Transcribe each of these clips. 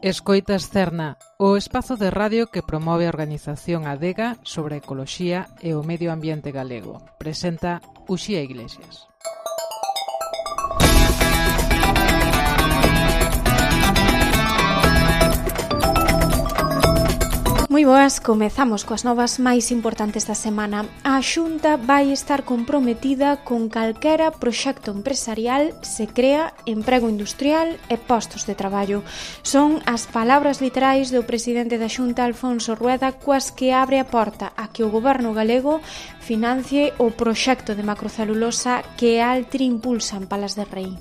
Escoitas Cerna, o espazo de radio que promove a organización Adega sobre a ecoloxía e o medio ambiente galego. Presenta Uxía Iglesias. Moi boas, comezamos coas novas máis importantes da semana. A Xunta vai estar comprometida con calquera proxecto empresarial se crea emprego industrial e postos de traballo. Son as palabras literais do presidente da Xunta, Alfonso Rueda, coas que abre a porta a que o goberno galego financie o proxecto de macrocelulosa que Altri impulsa en Palas de Rei.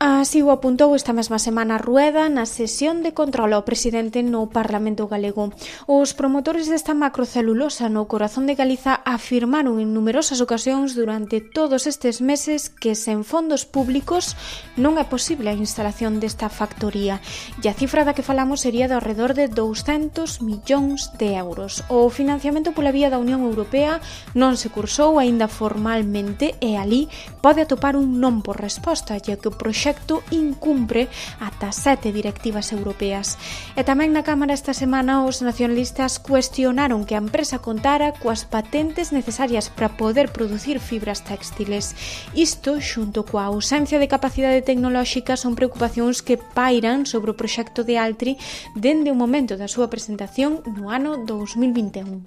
Así o apuntou esta mesma semana Rueda na sesión de control ao presidente no Parlamento galego. Os promotores desta macrocelulosa no corazón de Galiza afirmaron en numerosas ocasións durante todos estes meses que sen fondos públicos non é posible a instalación desta factoría. E a cifra da que falamos sería de alrededor de 200 millóns de euros. O financiamento pola vía da Unión Europea non se cursou aínda formalmente e ali pode atopar un non por resposta, ya que o proxecto incumpre ata 7 directivas europeas. E tamén na Cámara esta semana os nacionalistas cuestionaron que a empresa contara coas patentes necesarias para poder producir fibras textiles. Isto, xunto coa ausencia de capacidade tecnolóxica, son preocupacións que pairan sobre o proxecto de Altri dende o momento da súa presentación no ano 2021.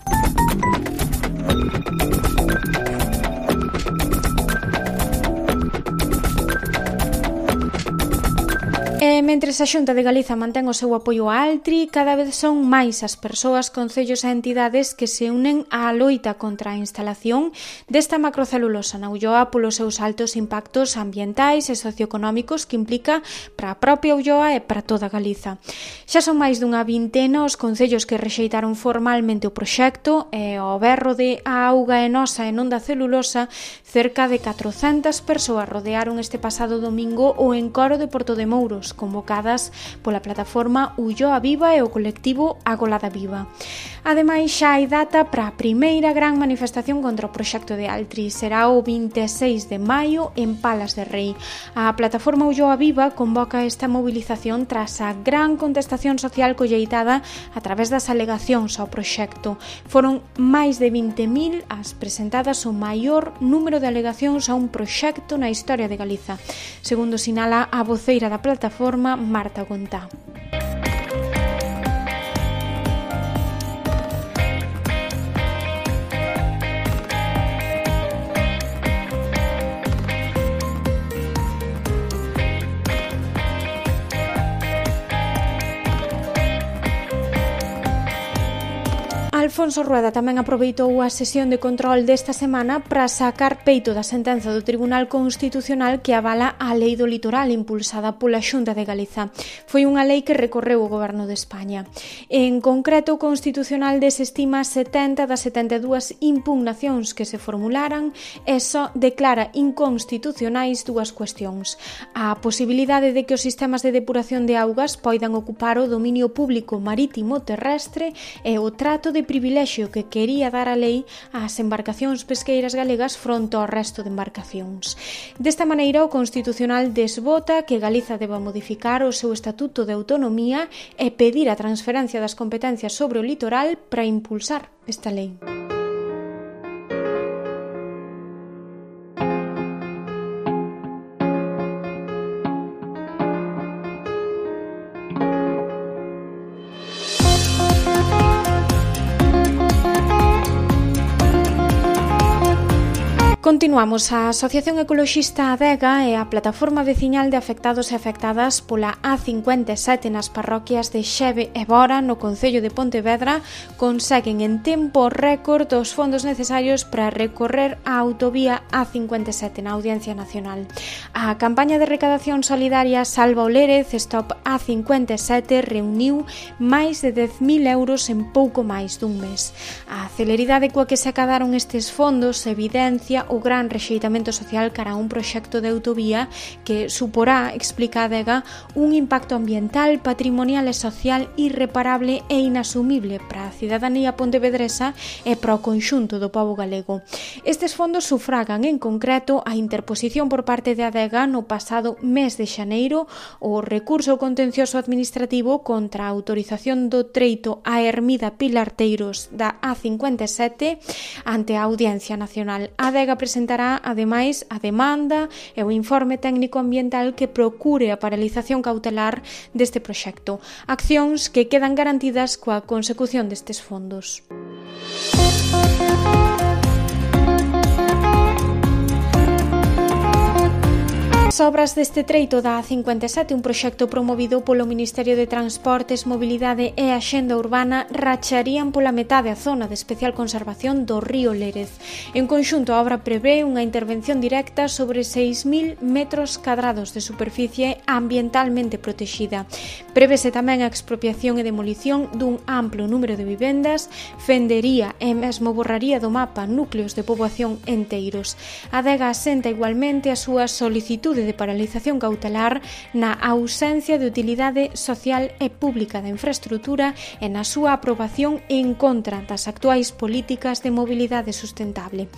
E mentres a Xunta de Galiza mantén o seu apoio a Altri, cada vez son máis as persoas, concellos e entidades que se unen á loita contra a instalación desta macrocelulosa na Ulloa polos seus altos impactos ambientais e socioeconómicos que implica para a propia Ulloa e para toda Galiza. Xa son máis dunha vintena os concellos que rexeitaron formalmente o proxecto e ao berro de a auga é nosa e non da celulosa, cerca de 400 persoas rodearon este pasado domingo o encoro de Porto de Mouros, convocadas pola plataforma Ulloa Viva e o colectivo Agolada Viva. Ademais, xa hai data para a primeira gran manifestación contra o proxecto de Altri. Será o 26 de maio en Palas de Rei. A plataforma Ulloa Viva convoca esta movilización tras a gran contestación social colleitada a través das alegacións ao proxecto. Foron máis de 20.000 as presentadas, o maior número de alegacións a un proxecto na historia de Galiza, segundo sinala a voceira da plataforma, Marta Gontá. Alfonso Rueda tamén aproveitou a sesión de control desta semana para sacar peito da sentenza do Tribunal Constitucional que avala a Lei do Litoral impulsada pola Xunta de Galiza. Foi unha lei que recorreu o Goberno de España. En concreto, o Constitucional desestima 70 das 72 impugnacións que se formularan e só declara inconstitucionais dúas cuestións: a posibilidade de que os sistemas de depuración de augas poidan ocupar o dominio público marítimo terrestre e o trato de privilexio que quería dar a lei ás embarcacións pesqueiras galegas fronte ao resto de embarcacións. Desta maneira, o Constitucional desbota que Galiza deba modificar o seu Estatuto de Autonomía e pedir a transferencia das competencias sobre o litoral para impulsar esta lei. Continuamos. A Asociación Ecoloxista Adega e a Plataforma Veciñal de Afectados e Afectadas pola A57 nas parroquias de Xeve e Bora, no concello de Pontevedra, conseguen en tempo récord os fondos necesarios para recorrer a autovía A57 na Audiencia Nacional. A campaña de recadación solidaria Salva o Lérez Stop A57 reuniu máis de 10.000 euros en pouco máis dun mes. A celeridade coa que se acadaron estes fondos evidencia o o gran rexeitamento social cara a un proxecto de autovía que suporá, explica a Adega, un impacto ambiental, patrimonial e social irreparable e inasumible para a cidadanía pontevedresa e para o conxunto do pobo galego. Estes fondos sufragan en concreto a interposición por parte de Adega no pasado mes de xaneiro o recurso contencioso administrativo contra a autorización do treito a Ermida Pilarteiros da A57 ante a Audiencia Nacional. A Adega presentará, ademais, a demanda e o informe técnico ambiental que procure a paralización cautelar deste proxecto. Accións que quedan garantidas coa consecución destes fondos. As obras deste treito da A57, un proxecto promovido polo Ministerio de Transportes, Mobilidade e Axenda Urbana, racharían pola metade a zona de especial conservación do río Lérez. En conxunto, a obra prevé unha intervención directa sobre 6.000 metros cadrados de superficie ambientalmente protexida. Prevese tamén a expropiación e demolición dun amplo número de vivendas, fendería e mesmo borraría do mapa núcleos de poboación enteiros. A Adega asenta igualmente a súa solicitude de paralización cautelar na ausencia de utilidade social e pública da infraestrutura e na súa aprobación en contra das actuais políticas de mobilidade sustentable.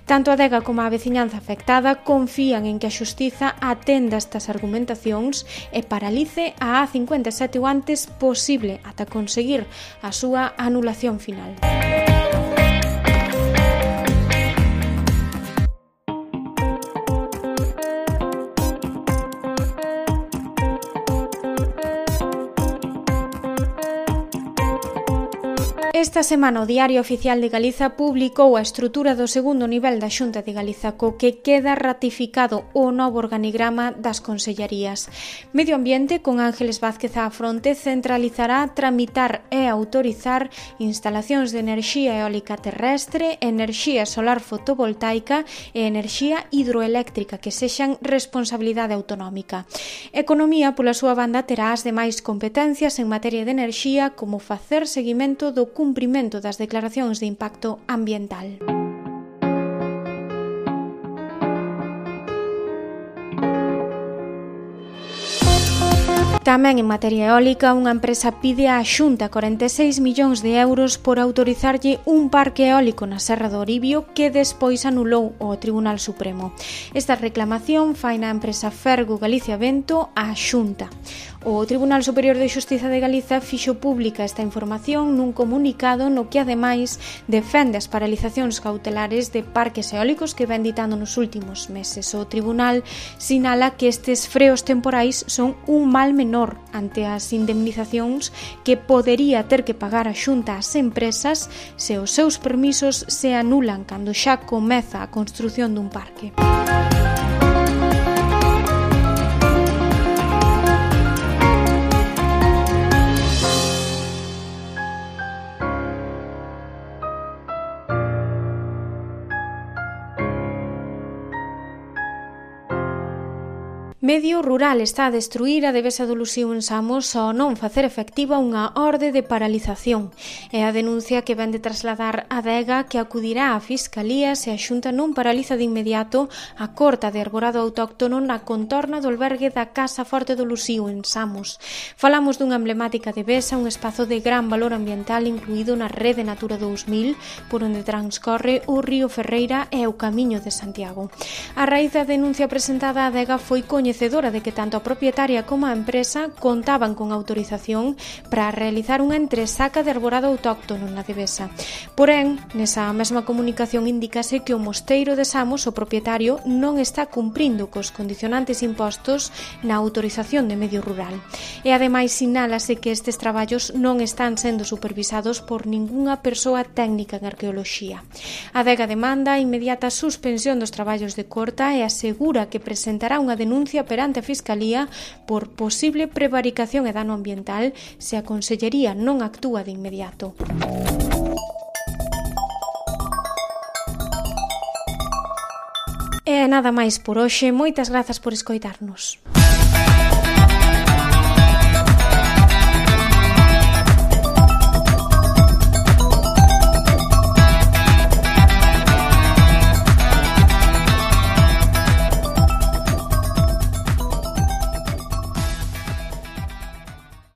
Tanto a Adega como a veciñanza afectada confían en que a xustiza atenda estas argumentacións e paralice a A57 o antes posible ata conseguir a súa anulación final. Esta semana o Diario Oficial de Galiza publicou a estrutura do segundo nivel da Xunta de Galiza, co que queda ratificado o novo organigrama das consellarías. Medio Ambiente, con Ángeles Vázquez á fronte, centralizará tramitar e autorizar instalacións de enerxía eólica terrestre, enerxía solar fotovoltaica e enerxía hidroeléctrica que sexan responsabilidade autonómica. Economía, pola súa banda, terá as demais competencias en materia de enerxía, como facer seguimento do cumprimento das declaracións de impacto ambiental. Tamén en materia eólica, unha empresa pide á Xunta 46 millóns de euros por autorizarlle un parque eólico na Serra do Oribio que despois anulou o Tribunal Supremo. Esta reclamación fai na empresa Fergo Galicia Vento á Xunta. O Tribunal Superior de Xustiza de Galiza fixo pública esta información nun comunicado no que, ademais, defende as paralizacións cautelares de parques eólicos que ven ditando nos últimos meses. O Tribunal sinala que estes freos temporais son un mal menor ante as indemnizacións que podería ter que pagar a Xunta ás empresas se os seus permisos se anulan cando xa comeza a construción dun parque. Medio rural está a destruir a Devesa do Luxío en Samos ao non facer efectiva unha orde de paralización. É a denuncia que vende trasladar a Adega, que acudirá á Fiscalía se a Xunta non paraliza de inmediato a corta de arborado autóctono na contorna do albergue da Casa Forte do Luxío en Samos. Falamos dunha emblemática Devesa, un espazo de gran valor ambiental incluído na Rede Natura 2000, por onde transcorre o río Ferreira e o Camiño de Santiago. A raíz da denuncia presentada, a Adega foi coñecedora de que tanto a propietaria como a empresa contaban con autorización para realizar unha entresaca de arborado autóctono na Devesa. Porén, nesa mesma comunicación indícase que o Mosteiro de Samos, o propietario, non está cumprindo cos condicionantes impostos na autorización de medio rural. E ademais sinálase que estes traballos non están sendo supervisados por ningunha persoa técnica en arqueoloxía. A Adega demanda a inmediata suspensión dos traballos de corta e asegura que presentará unha denuncia perante a Fiscalía por posible prevaricación e dano ambiental se a Consellería non actúa de inmediato. E nada máis por hoxe. Moitas grazas por escoitarnos.